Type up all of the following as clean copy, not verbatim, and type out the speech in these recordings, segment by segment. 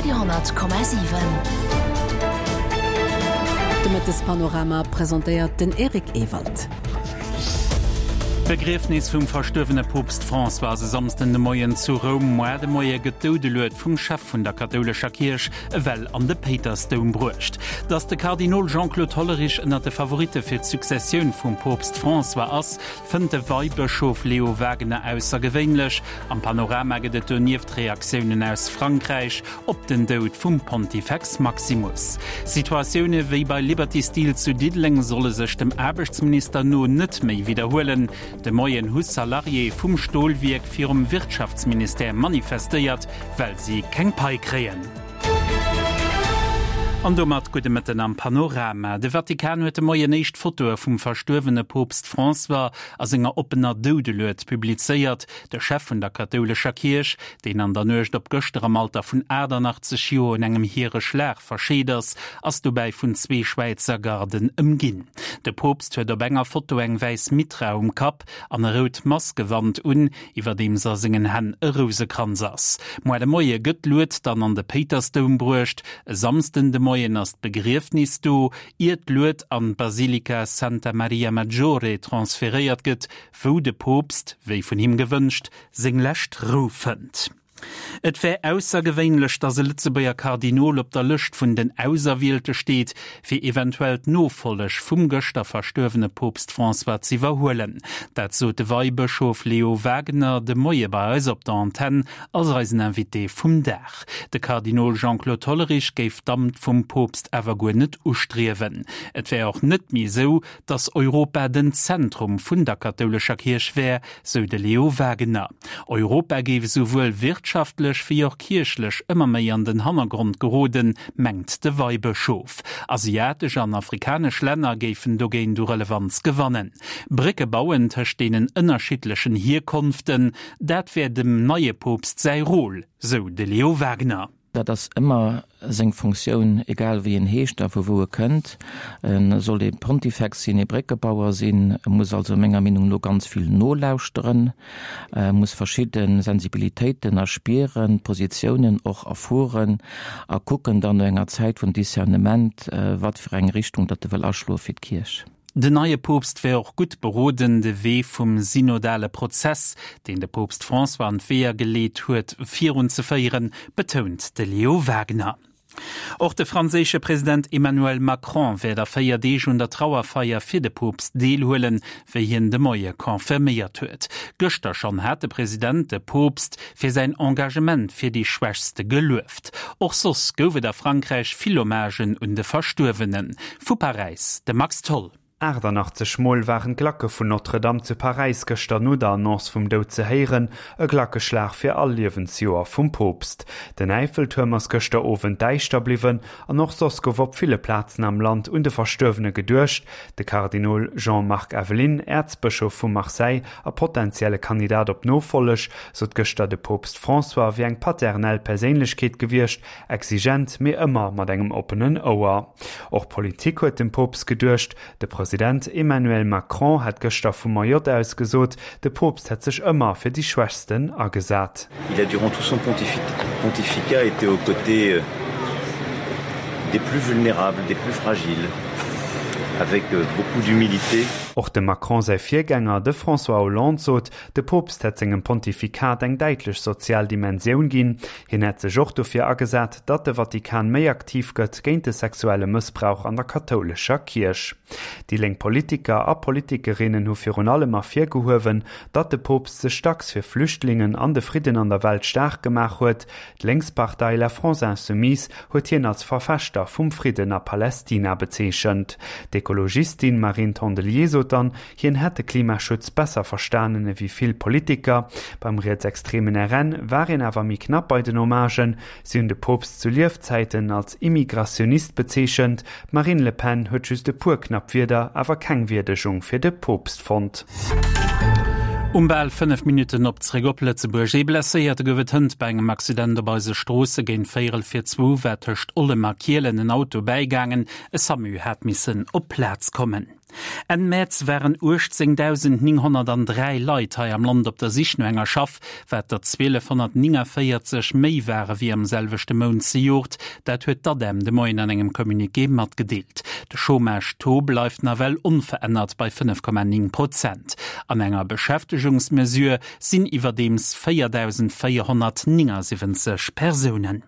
Radio 10,7. De Mëttespanorama presentéiert den Eric Ewald. D'Begriefnis vum verstuerwene Poopst François ass e Samsden de Moien zu Roum. Moar de Moie gëtt d'Doudelued vum Chef vun der kathoulescher Kierch ewell an de Péitersdoum bruecht. Datt de Kardinol Jean-Claude Hollerich ënner de Favoritte fir d'Successioun vum Poopst François ass, fënnt de Weibëschof Leo Wagener aussergewéinlech. Am Panorama gëtt et donieft Reaktiounen aus Frankräich op den Doud vum Pontifex Maximus. Situatioune wéi bei Liberty Steel zu Diddeleng solle sech dem Aarbechtsminister no net méi widderhuelen. De Moien hu Salariéë vum Stolwierk virum Wirtschaftsministère manifestéiert, well si keng Pai kréien. An domat gudde Mëtten am Panorama. De Vatikan huet de Moien éischt Fotoe vum verstuerwene Poopst François a senger oppener Doudelued publizéiert. De Chef vun der kathoulescher Kierch, deen an der Nuecht op gëschter am Alter vun 88 Joer un engem Hiereschlag verscheet ass, ass dobäi vun zwee Schwäizer Garden ëmginn. De Poopst huet op enger Foto eng wäiss Mitra um Kapp an e rout Massgewand un, iwwerdeems a sengen Hänn e Rousekranz ass. Moar de Moie gëtt d'Lued dann an de Péitersdoum bruecht. E Samsden de Moien ass d'Begriefnis do, ier d'Lued an d'Basilika Santa Maria Maggiore transferéiert gëtt, wou de Poopst, wéi vun him gewënscht, seng lescht Rou fënnt. Et wär aussergewéinlech, datt e Lëtzebuerger Kardinol op der Lëscht vun den Auserwielte steet, fir eventuell d'Nofolleg vum gëschter verstuerwene Poopst François z'iwwerhuelen. Dat sot de Weibëschof Leo Wagener de Moie bei eis op der Antenn als eisen Invité vum Dag. De Kardinol Jean-Claude Hollerich géif d'Amt vum Poopst awer guer net ustriewen. Et wär och net méi esou, datt Europa den Zentrum vun der kathoulescher Kierch wär, sou de Leo Wagener. Europa géif esouwuel wirtschaftlech wéi och kierchlech ëmmer méi an den Hannergrond geroden, mengt de Weibëschof. Asiatesch an afrikanesch Länner géifen dogéint u Relevanz gewannen. Brécke bauen tëscht deenen ënnerschiddlechen Hierkonften, dat wär dem neie Poopst säi Rôle, sou de Leo Wagener. Dat ass ëmmer seng Funktioun, egal wéi en heescht a vu wou e kënnt. E soll ee Pontifex sinn, ee Bréckebauer sinn. E muss also menger Meenung no ganz vill nolauschteren, e muss verschidde Sensibilitéiten erspieren, Positiounen och erfueren a kucken dann no enger Zäit vun Discernement, wat fir eng Richtung datt e wëll aschloe fir d'Kierch. Den neie Poopst wär och gutt beroden, de Wee vum synodale Prozess, deen de Poopst François an d'Weeër geleet huet, virunzeféieren, betount de Leo Wagener. Och de franséische President Emmanuel Macron wäert a 4 Deeg un der Trauerfeier fir de Poopst deelhuelen, wéi hien de Moie confirméiert huet. Gëschter schonn hat de President de Poopst fir säin Engagement fir déi Schwächste gelueft. Och soss gouf et a Frankräich vill Hommagen un de Verstuerwenen. Vu Paräis de Max Tholl. 88 Mol waren d'Glacke vun Notre-Dame zu Paräis gëschter no der Annonce vum Doud ze héieren, e Glackeschlag fir all Liewensjoer vum Poopst. Den Äiffeltuerm ass gëschter Owend däischter bliwwen an och soss gouf op ville Plazen am Land un de Verstuerwene geduecht. De Kardinol Jean-Marc Aveline, Äerzbëschof vu Marseille a potentielle Kandidat op d'Nofolleg, sot gëschter, de Poopst François wier eng paternell Perséinlechkeet gewiescht, Exigent, mee ëmmer mat engem oppenen Ouer. Och Politik huet dem Poopst geduecht. De President Emmanuel Macron hat gëschter vu Mayotte aus gesot, de Poopst hätt sech ëmmer fir déi Schwächsten agesat. Il a durant tout son pontificat été aux côtés des plus vulnérables, des plus fragiles, avec beaucoup d'humilité. Och dem Macron säi Virgänger, de François Hollande, sot, De Poopst hätt sengem Pontifikat eng däitlech sozial Dimensioun ginn. Hien hätt sech och dofir agesat, datt de Vatikan méi aktiv gëtt géint de sexuelle Mëssbrauch an der kathoulescher Kierch. Déi lénk Politiker a Politikerinnen hu virun allem ervirgehuewen, datt de Poopst sech dacks fir Flüchtlingen an de Fridden an der Welt staark gemaach huet. D'Lénkspartei La France Insoumise huet hien als Verfechter vum Fridden a Palästina bezeechent. D'Ekologistin Marine Tondelier sot dann, Hien hätt de Klimaschutz besser verstanen ewéi vill Politiker. Beim rietsextremen RN war een awer méi knapp bei den Hommagen. Si hunn de Poopst zu Liefzäiten als Immigrationist bezeechent. D'Marine Le Pen huet just e puer knapp Wierder, awer keng Wierdegung fir de Poopst fonnt. Um bal 5 Minutten op zréck op Lëtzebuerg. Ee Blesséierte gouf et hënt bei engem Accident op eise Stroosse. Géint véierel vir zwou war tëscht Ollem a Kielen en Auto bäigaangen. E Samu hat missen op d'Plaz kommen. Enn Mäerz waren 18.903 Leit hei am Land op der Sich no enger Schaff, wat der 1.249 méi ware wéi am selwechte Mount zejoert. Dat huet d'ADEM de Moien an engem Communiqué matgedeelt. De Chômage-Taux bleift nawell onverännert bei 5,9 Prozent. An enger Beschäftegungsmesure sinn iwwerdeems 4.479 Persounen.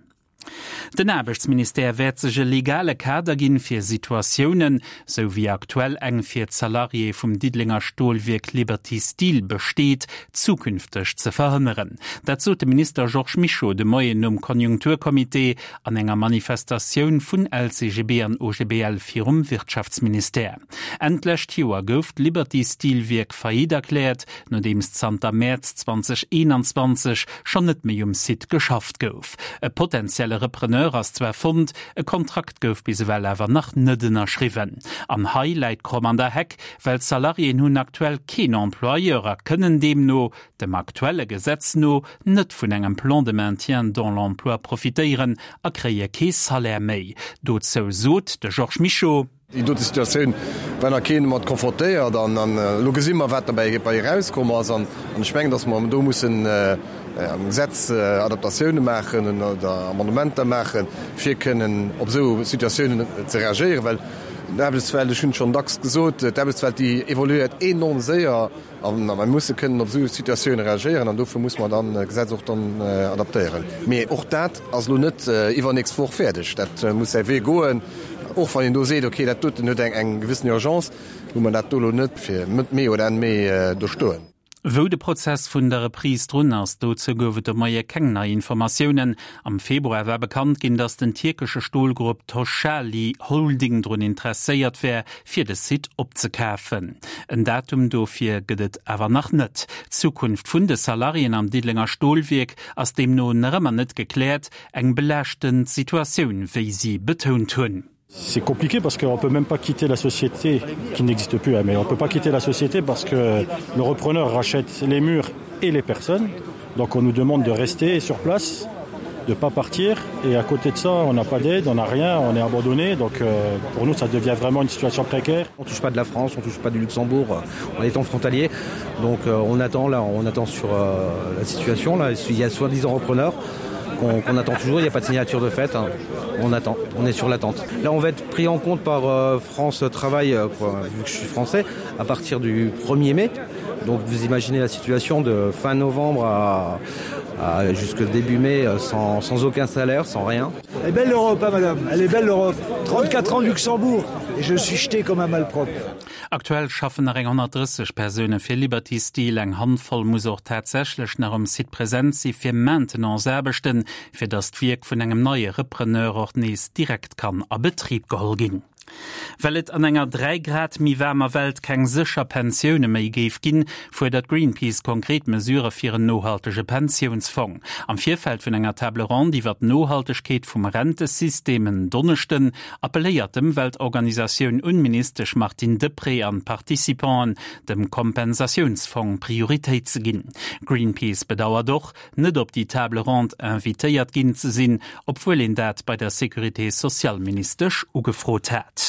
Den Aarbechtsministère wäert sech e legale Kader ginn, fir Situatiounen, sou wéi aktuell eng fir d'Salariéë vum Diddelenger Stolwierk Liberty Steel besteet, zukünfteg ze verhënneren. Dat sot de Minister Georges Mischo de Moien nom Konjunkturcomité an enger Manifestatioun vun LCGB an OGBL virum Wirtschaftsministère. Enn d'lescht Joer gouf d'Liberty Steel Wierk Faillite erkläert, nodeems zanter Mäerz 2021 schonn net méi um Site geschafft gouf. E potentielle Repreneur ass zwar fonnt, e Kontrakt gouf bis ewell awer nach net ënnerschriwwen. An hei läit d'Kromm an der Heck, well d'Salariéen hunn aktuell keen Employeur a kënnen deemno, dem aktuelle Gesetz no, net vun engem Plan de maintien dans l'emploi profitéieren a kréie kee Salaire méi. Dozou sot de Georges Mischo. Déi dote Situatioun war nach keen domat konfrontéiert an elo gesi mer, wat derbäi erauskomm ass. An ech mengen, datt mer do mussen am Gesetz Adaptatioune maachen oder Amendementer maachen, fir kënnen op esou Situatiounen ze reagéieren. Well d'Aarbechtswelt, ech hunn et schonn dacks gesot, d'Aarbechtswelt, déi evoluéiert enorm séier. A mer musse kënnen op esou Situatioune reagéieren an dofir muss mer dann d'Gesetz och dann adaptéieren. Mee och dat ass elo net iwwernächst Woch fäerdeg. Dat muss säi Wee goen. Och wann een do seet, okay, dat doten huet eng gewëssen Urgence, hu mer dat do elo net fir Mëtt Mee oder Enn Mee do stoen. Wou de Prozess vun der Reprise drun ass, dozou gouf et de Moie keng nei Informatiounen. Am Februar war bekannt ginn, datt den tierkesche Stolgrupp Toshali Holding drun interesséiert wär, fir de Site opzekafen. En Datum dofir gëtt et awer nach net. D'Zukunft vun de Salariéen am Diddelenger Stolwierk ass deemno nach ëmmer net gekläert, eng belaaschtend Situatioun, wéi si betount hunn. C'est compliqué parce qu'on peut même pas quitter la société qui n'existe plus mais on peut pas quitter la société parce que le repreneur rachète les murs et les personnes donc on nous demande de rester sur place de pas partir et à côté de ça on n'a pas d'aide on n'a rien on est abandonné donc euh, pour nous ça devient vraiment une situation précaire on touche pas de la France on touche pas du Luxembourg euh, on est en frontalier donc euh, on attend là on attend sur euh, la situation là il y a soi-disant repreneur qu'on qu attend toujours il n'y a pas de signature de fait hein. on attend on est sur l'attente là on va être pris en compte par euh, France travail euh, quoi, vu que je suis français à partir du 1er mai donc vous imaginez la situation de fin novembre à, à jusque début mai euh, sans, sans aucun salaire sans rien Elle est belle l'Europe hein, madame elle est belle l'Europe 34 ans Luxembourg et je suis jeté comme un malpropre. Aktuell schaffen nach eng 130 Persoune fir Liberty Steel. Eng Handvoll muss och tatsächlech nach um Site present si fir Maintenance-Aarbechten, fir datt d'Wierk vun engem neie Repreneur och nees direkt kann a Betrib geholl ginn. Well et an enger 3 Grad méi waarmer Welt keng sécher Pensioune méi géif ginn, fuerdert Greenpeace konkret Mesurë fir en nohaltege Pensiounsfong. Am Virfeld vun enger Table ronde iwwer d'Nohaltegkeet vum Rentesystem en Donneschden appelléiert d'Ëmweltorganisatioun un d'Ministesch Martine Deprez an d'Participanten, dem Kompensatiounsfong Prioritéit ze ginn. Greenpeace bedauert och, net op déi Table ronde invitéiert ginn ze sinn, obwuel een dat bei der Sécurité sociale-Ministesch ugefrot hat.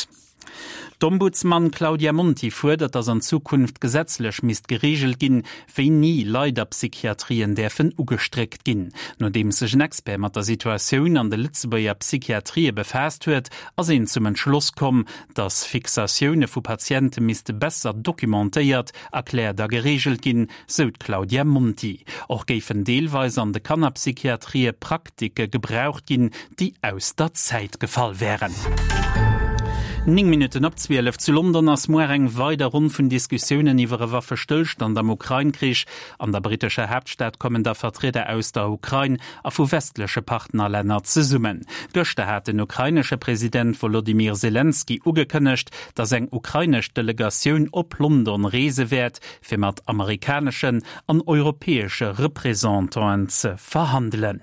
D'Ombudsman Claudia Monti fuerdert, datt an Zukunft gesetzlech misst gereegelt ginn, wéini Leit a Psychiatrien däerfen ugestréckt ginn. Nodeems sech en Expert mat der Situatioun an de Lëtzebuerger Psychiatrië befaasst huet, ass een zum Entschloss komm, datt Fixatioune vu Patiente misste besser documentéiert, erkläert a gereegelt ginn, sou d'Claudia Monti. Och géifen deelweis an de Kannerpsychiatrië Praktike gebraucht ginn, déi aus der Zäit gefall wären. 9 Minutten op 12. Zu London ass muer eng weider Ronn vun Diskussiounen iwwer e Waffestëllstand am Ukrain-Krich. An der brittescher Haaptstad kommen da Vertrieder aus der Ukrain a vu westleche Partnerlänner zesummen. Gëschter hat den ukrainesche President Wolodymyr Selenskyj ugekënnegt, datt eng ukrainesch Delegatioun op London reese wäert, fir mat amerikaneschen an europäesche Representanten ze verhandelen.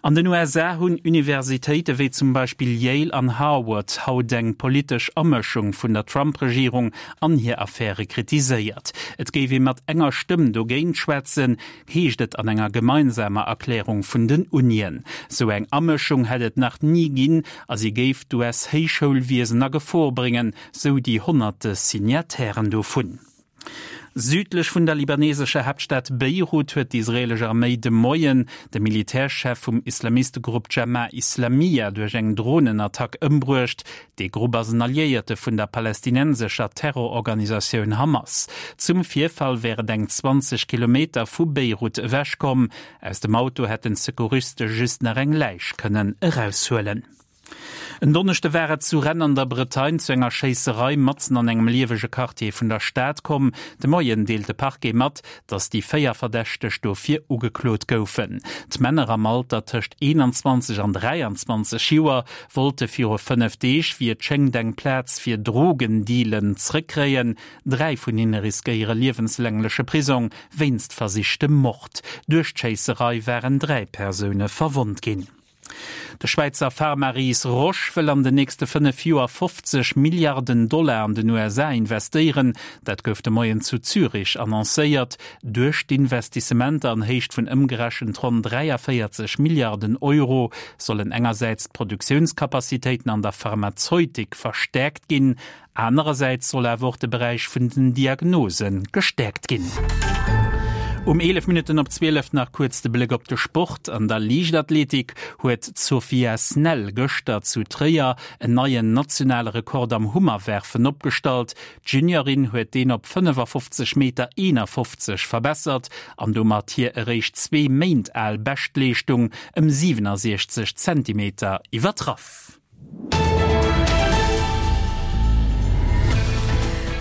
An den USA hunn Universitéite wéi zum Beispill Yale an Harward haut eng politesch Amëschung vun der Trump-Regierung an hir Affäre kritiséiert. Et géif ee mat enger Stëmm dogéint schwätzen, heescht et an enger gemeinsamer Erklärung vun den Unien. Sou eng Amëschung hätt et nach ni ginn a si géif d'US-Héichschoulwiesen a Gefor bréngen, sou déi honnerte Signatairen dovun. Südlech vun der libanesescher Haaptstad Beirut huet d'israeelesch Arméi de Moien de Militärchef vum Islamistegrupp Jamaa Islamiyah duerch eng Dronenattack ëmbruecht. Dee Grupp ass en Alliéierte vun der palästinensescher Terrororganisatioun Hamas. Zum Virfall wär et eng 20 Kilometer vu Beirut ewech komm. Aus dem Auto hätten d'Secouriste just nach eng Läich kënnen eraushuelen. En Donneschde war et zu Rennes an der Bretagne zu enger Schéisserei matzen an engem liewege Quartier vun der Stad komm. De Moien deelt de Parquet mat, datt déi 4 Verdächteg dofir ugeklot goufen. D'Männer am Alter tëscht 21 an 23 Joer wollte viru 5 Deeg, wéi et schéngt, eng Plaz fir Drogendealen zrëckkréien. Dräi vun hinne riskéiere liewenslängleche Prisong wéinst versichtem Mord. Duerch d'Schéisserei waren 3 Persoune verwonnt ginn. De Schwäizer Pharma-Ris Roche wëll an den nächste 5 Joer 50 Milliarden Dollar an den USA investéieren. Dat gouf de Moien zu Zürich annoncéiert. Duerch d'Investissementer an Héicht vun ëmgerechent ronn 43 Milliarden Euro sollen engersäits d'Produktiounskapazitéiten an der Pharmazeutik verstäerkt ginn, Anerersäits soll awer och de Beräich vun den Diagnose gestäerkt ginn. Um 11 Minutten op 12 nach kuerz de Bléck op de Sport. An der Liichtathletik huet d'Sofia Snell gëschter zu Tréier en neien nationale Rekord am Hummerwerfen opgestallt. D'Juniorin huet deen op 55 Meter 51 verbessert an domat hir eréischt zwee Méint al Beschtleeschtung ëm 67 Zentimeter iwwertraff.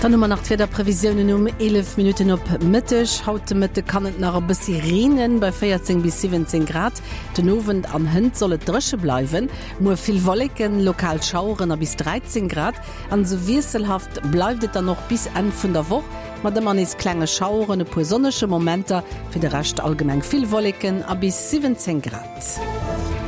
Dann hu mer nach d'Wiederprevisiounen um 11 Minutten op Mëtteg. Haut de Mëtte kann et nach e bëssi reenen, bei 14 bis 17 Grad. Den Owend an hënt soll et dréche bleiwen. Muer vill Wolleken, lokal Schaueren a bis 13 Grad. An esou wiesselhaft bleift et dann och bis Enn vun der Woch, mat ëmmer nees klenge Schaueren, e puer sonnege Momenter, fir de Rescht allgemeng vill Wolleken a bis 17 Grad.